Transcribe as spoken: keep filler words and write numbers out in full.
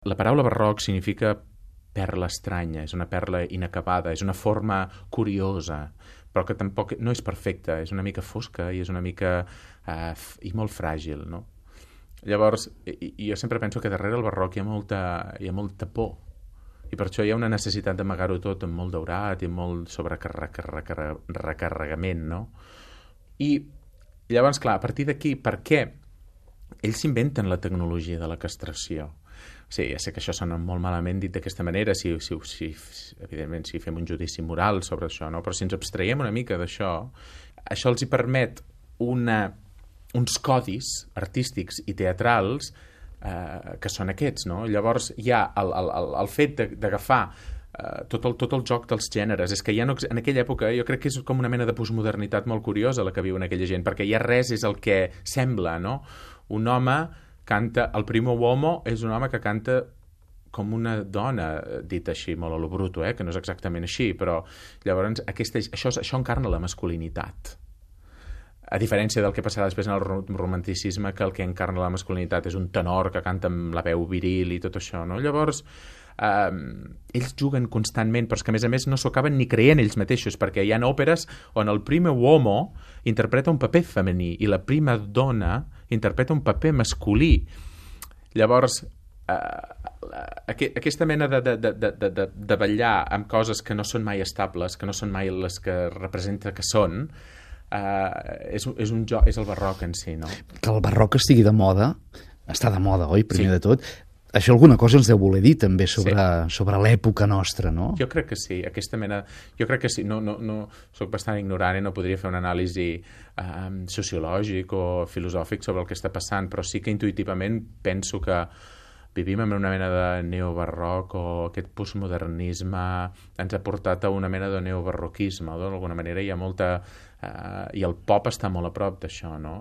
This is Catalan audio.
La paraula barroc significa perla estranya, és una perla inacabada, és una forma curiosa, però que tampoc no és perfecta, és una mica fosca i és una mica eh, i molt fràgil, no? Llavors, i, i jo sempre penso que darrere el barroc hi ha molta, hi ha molta por, i per això hi ha una necessitat d'amagar-ho tot amb molt daurat i molt sobrecarregament, no? I llavors, clar, a partir d'aquí, per què ells s'inventen la tecnologia de la castració? Sí, ja sé que això sona molt malament dit d'aquesta manera, si, si, si, evidentment si fem un judici moral sobre això, no? Però si ens abstraiem una mica d'això, això els hi permet una, uns codis artístics i teatrals eh, que són aquests, no? Llavors hi ha el, el, el, el fet d'agafar eh, tot, el, tot el joc dels gèneres. És que ja no, en aquella època jo crec que és com una mena de postmodernitat molt curiosa la que viuen aquella gent, perquè ja res és el que sembla, no? Un home canta, el primo uomo és un home que canta com una dona, dit així, molt a lo bruto, eh? Que no és exactament així, però llavors aquesta, això, això encarna la masculinitat. A diferència del que passarà després en el romanticisme, que el que encarna la masculinitat és un tenor que canta amb la veu viril i tot això, no? Llavors, eh, ells juguen constantment, però és que a més a més no s'ho acaben ni creient ells mateixos, perquè hi ha òperes on el primo uomo interpreta un paper femení i la prima dona interpreta un paper masculí. Llavors, eh, aquesta mena de, de, de, de, de, de ballar amb coses que no són mai estables, que no són mai les que representa que són, eh, és, és, un joc, és el barroc en si, no? Que el barroc estigui de moda, està de moda, oi, primer sí. de tot. Això alguna cosa ens deu voler dir també sobre, sí. sobre l'època nostra, no? Jo crec que sí, aquesta mena... Jo crec que sí, no, no, no soc bastant ignorant i no podria fer una anàlisi um, sociològic o filosòfic sobre el que està passant, però sí que intuïtivament penso que vivim en una mena de neobarroc o aquest postmodernisme ens ha portat a una mena de neobarroquisme, d'alguna manera hi ha molta... Uh, i el pop està molt a prop d'això, no?